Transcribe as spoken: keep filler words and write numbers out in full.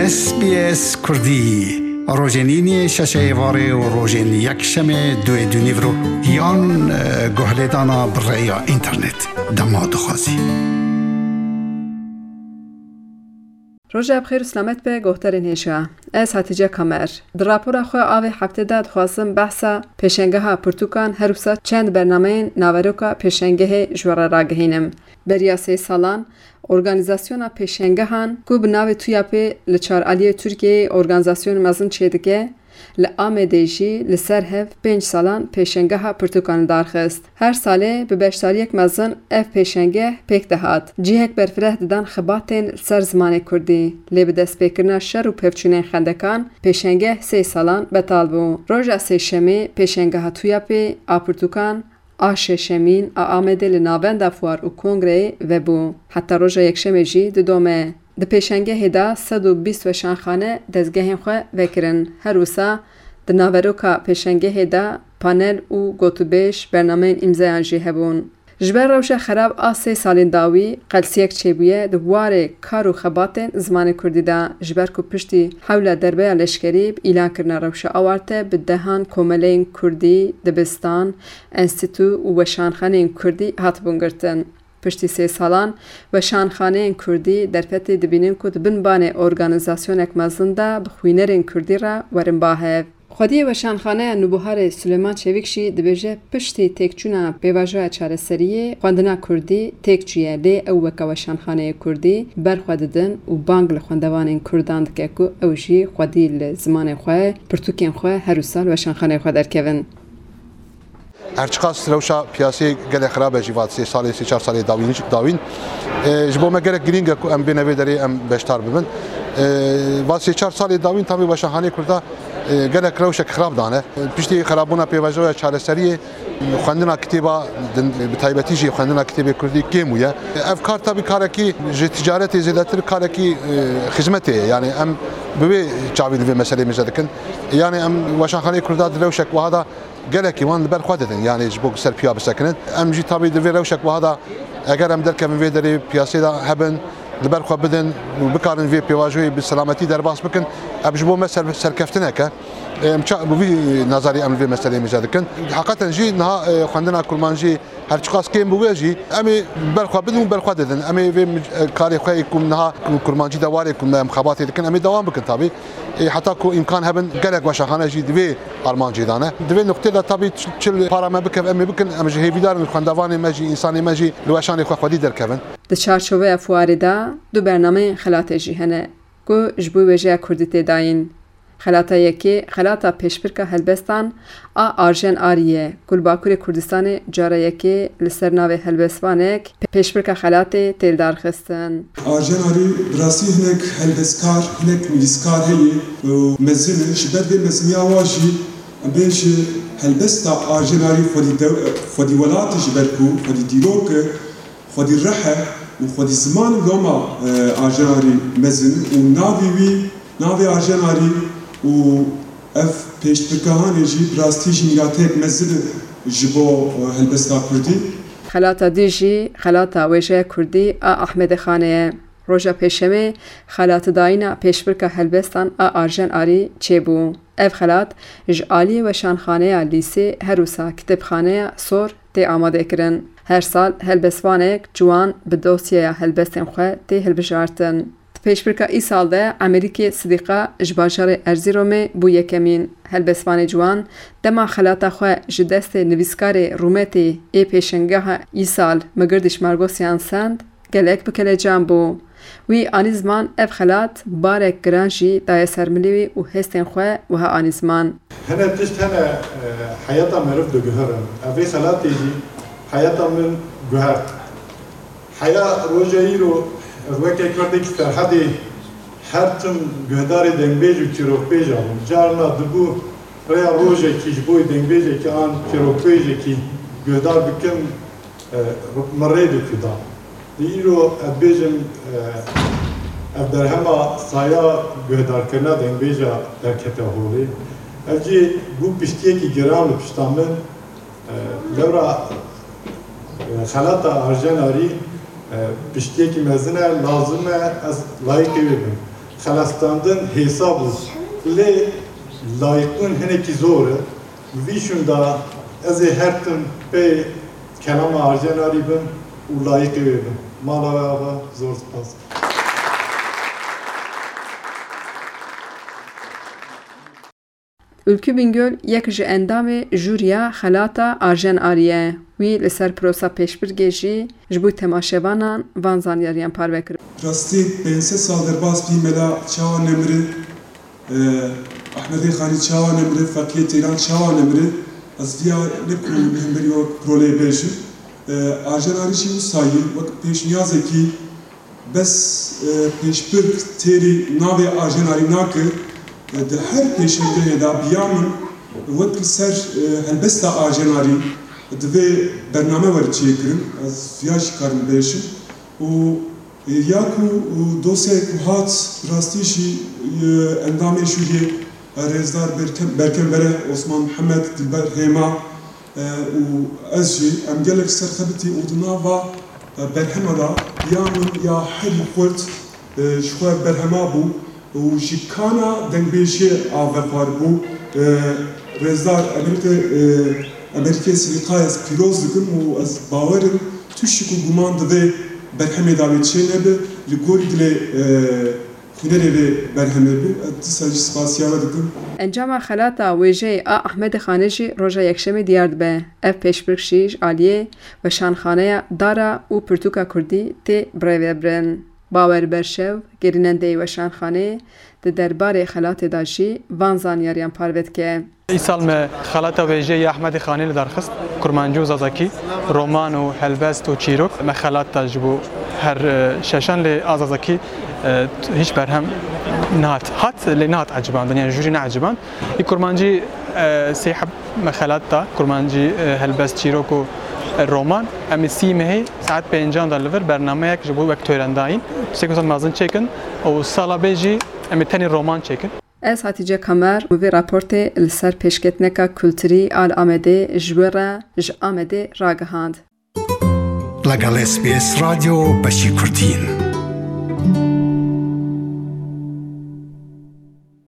S B S Kurdî, rojên îniyê şeşê êvarê û rojên yekşemê duê dûnîvro yan, e, guhlêdana bi rêya înternet. Dema dixwazî. Roja bi xêr û selamet be, guhdarên hêja. Ez Hatice Kamer. Di rapora xwe a vê heftê de dixwazim behsa pêşengeha pirtûkan, her wisa çend bernameyên naveroka pêşengehê ji we re ragihînim. Beriya sê salan, organîzasyona pêşengehan ku bi navê TUYAPê li çar aliyê Tirkiyeyê organîzasyonê mezin çêdike, li Amedê jî li ser hev pênc salan pêşengeha pirtûkan li dar xist. Her salê bi beşdariyek mezin ev pêşengeh pêk dihat. Cihek berfireh didan xebatên li ser zimanê kurdî. Lê bi destpêkirina şer û pevçûnên xendekan, pêşengeh sê salan betal bû. Roja sêşemê pêşengeha TUYAPê a pirtûkan, a şeşemîn a Amedê li Navenda Fuar û Kongreyê vebû. Heta roja yekşemê jî didome. Di pêşengehê de sed û bîst weşanxane dezgehên xwe vekirin. Her wisa di naveroka pêşengehê de panel û gotûbêj, bernameyên îmzeyan jî hebûn. Ji ber rewşa xerab a sê salên dawî qelsiyek çêbûye di warê kar û xebatên zimanê kurdî de, ji ber ku piştî hewla derbeya leşkerî bi îlankirina rewşa awarte bi dehan komeleyên kurdî, dibistan, enstîtû û weşanxaneyên kurdî hatibûn girtin. Piştî sê salan weşanxaneyên kurdî derfetê dibînin ku di bin banê organîzasyonek mezin de bi xwînerên kurdî re werin ba hev. Xwediyê Weşanxaneya Nûbiharê Suleyman Çevik jî dibêje, piştî têkçûna pêvajoya çareseriyê, xwendina kurdî têk çûye, lê ew weke weşanxaneyê kurdî ber xwe didin û bang li xwendevanên kurdan dike ku ew jî xwedî li zimanê xwe, pirtûkên xwe her wisa li weşanxaneyê xwe derkevin. Her çiqas rewşa piyasê gelek xirab e jî va sê salê, sê çar salê dawîn, dawîn. E, ji bo me gelek girîng e ku em bêne vê derê em beşdar bibin. E, va sê çar salê dawîn tabî weşanxaneyê kurda, e, gelek rewşek xirab dane. E, piştî xirabûna pêvajoya çareseriyê, xwendina kitêba din, bi taybetî jî xwendina kitêbê kurdî kêm bûye. E, ev kar tabî karekî ji ticaretê zêdetir karekî, e, xizmetê ye. Yani em bi wê çavî li vê meselê mêze dikin. Yani em weşanxaneyê kurda di rewşek wiha de gelekî wan li ber xwe didin, yani ji bo ku ser piya bisekinin. Em jî tabî di vê rewşek wiha de eger em derkevin vê derê piyasê de hebin, li ber xwe bidin û bikarin vê pêvajoyê bi selametî derbas bikin, ev ji bo me ser-, serkeftinek e. Em ça-, bi vî nazarî em li vê meseleyê mêze dikin. Heqeten jî niha, e, xwendina kurmancî her çiqas kêm bi wê jî em ê ber xwe bidin û ber xwe didin. Em ê vê mij-, e, karê xwe yê ku niha kurmancî de warê ku me em xebatê dikin, em ê dewam bikin tabî. Ê, heta ku îmkan hebin, gelek weşanxane jî di vê armancê de ne. Di vê nuqtê de tabî çi, çi li para me bikev, em ê bikin, em ji hêvîdar in xwendevanê me jî, însanê me jî li weşanê xwe xwedî derkevin. Di çarçoveya fuarê de du bernameyên xelatê jî hene ku ji bo wêjeya kurdî tê dayîn. Xelata yekê, xelata pêşbirka helbestan a Arjen Arî ye, ku li Bakurê Kurdistanê cara yekê li ser navê helbestvanek pêşbirka xelatê tê lidarxistin. Arjen Arî bi rastî hinek helbestkar, hinek nivîskar heye û mezin e. Ji ber vê meziniya wa jî em bê ji helbesta Arjen Arî xwedî dew-, xwedî welat e, ji ber ku xwedî dîrok e, xwedî rih e û xwedî ziman û loma, e, Arjen Arî mezin û navê wî, navê Arjen Arî û ev pêşbirkahanê jî bi rastî jî mîrateyek mezin e ji bo, e, helbesta kurdî. Xelata dî jî xelata wêjeya kurdî a Ahmedê Xanê ye. Roja pêşemê xelatidayîna pêşbirka helbestan a Arjen Arî çêbû. Ev xelat ji aliyê weşanxaneya lîsê her wisa kitêbxaneya sor tê amadekirin. Her sal helbestvanek ciwan bi dosyeya helbestên xwe tê hilbijartin. Di pêşbirka îsal de Emerîkê Sidîqa ji bajarê Erzîromê bû yekemîn. Helbestvanê ciwan dema xelata xwe ji destê nivîskarê rûmetê ê pêşengeha îsal Migirdiş Margosyan send, gelek bi kelecan bû. Wî anî ziman ev xelat barek giran jî daye ser milê wî û hestên xwe wiha anî ziman. Hene tişt hene, e, heyata meriv diguherin. Ev vê xelatê jî heyata min guhert. Heya roja îro ez weke kurdekî Serhedê her tim guhdarê dengbêj û çîrokbêja bûm. Carna dibû rêya rojekî ji bo dengbêjekî an çîrokbêjekî guhdar bikim, e, min rê dikuda. Di îro ez bêjim, e, ev berhema saya guhdarkirina dengbêja derkete holê. Ev jî bû piştiyekî giran li pişta min. E, lewra, e, xelata Arjen Arî, e, piştiyekî mezin e, lazim e ez layîqê wê bim. Xelestandin hêsa bû, lê layîqbûn hinekî zor e. Vî şûn de ez ê her tim pê kelama Arjen Arî bim û layîqê wê bim. Mala we ava, zor spas. Ülkü Bingöl yek ji endamê jûriya xelata Arjen Arî ye. Wî li ser prosa pêşbirkê jî ji bo temaşevanan van zanyariyan parve kir. Rastî pênc sed sal derbas bî, Mela çawa nemiri, e, Ehmedê Xanî çawa nemiri, Feqiyê Têran çawa nemiri, ez viya ne ku li hemberî wek proleyê bêjim. E, Arjen Arî jî wisa yî wek pêşniyazekî bes, e, pêşbirk têrî navê Arjen Arî nake, e, di her pêşengehê de biya min wek li ser, e, helbesta Arjen Arî divê bername were çêkirin, ez viya jî karim bêjim. Û, e, ya ku, û dosyayê ku hat rastî jî, e, endamê jûriyê, e, rêzdar Berkem, Berkem Bereh, Osman Mihemed, Dilber Hêma, e, û ez jî, em gelek ser xebitî û di nava, e, berhema de ya min ya herî xurt, e, ji xwe berhema bû û ji kana dengbêjiyê ava xwaribû. E, rêzdar Amerîkê, e, Amerîkê Sirîkayê ez pîroz dikim û ez bawer im tiştî ku guman di vê berhemê de wê çênebe, li gorî dilê, e, hunerê vê berhemê bû. Ez dîsa jî spasiya we dikim. Encama xelata wêjeyê a Ahmedê Xanê jî roja Yekşemê diyar dibe. Ev pêşbirk jî ji aliyê Weşanxaneya Dara û Pirtûka Kurdî tê birêvebirin. Bawer Berşev, gerînendeyê Weşanxanê, di derbarê xelatê de jî van zanyariyan parve dike. Îsal me xelata wêjeyê ya Ehmedê Xanê li dar xist, kurmancî û zazakî, roman û helbest û çîrok. Me xelat da ji bo her, e, şeşan, lê a zazakî, e, hîç berhem nehat. Hat, lê nehat ecibandin, yani jûrî neeciband. Î kurmancî, e, sê heb me xelat da, kurmancî, e, helbest, çîrok û, e, roman. Em ê sî mehê saet pêncan de li vir bernameyek ji bo wek tören dayîn. Tiştekî wisa mezin çêkin û sala bê jî em ê tenê roman çêkin. Ez Hatice Kamer û vê raportê li ser pêşketineka kulturî a li Amedê ji we re ji Amedê ragihand. لەگەڵ S B S رادیۆ بەشی کوردین.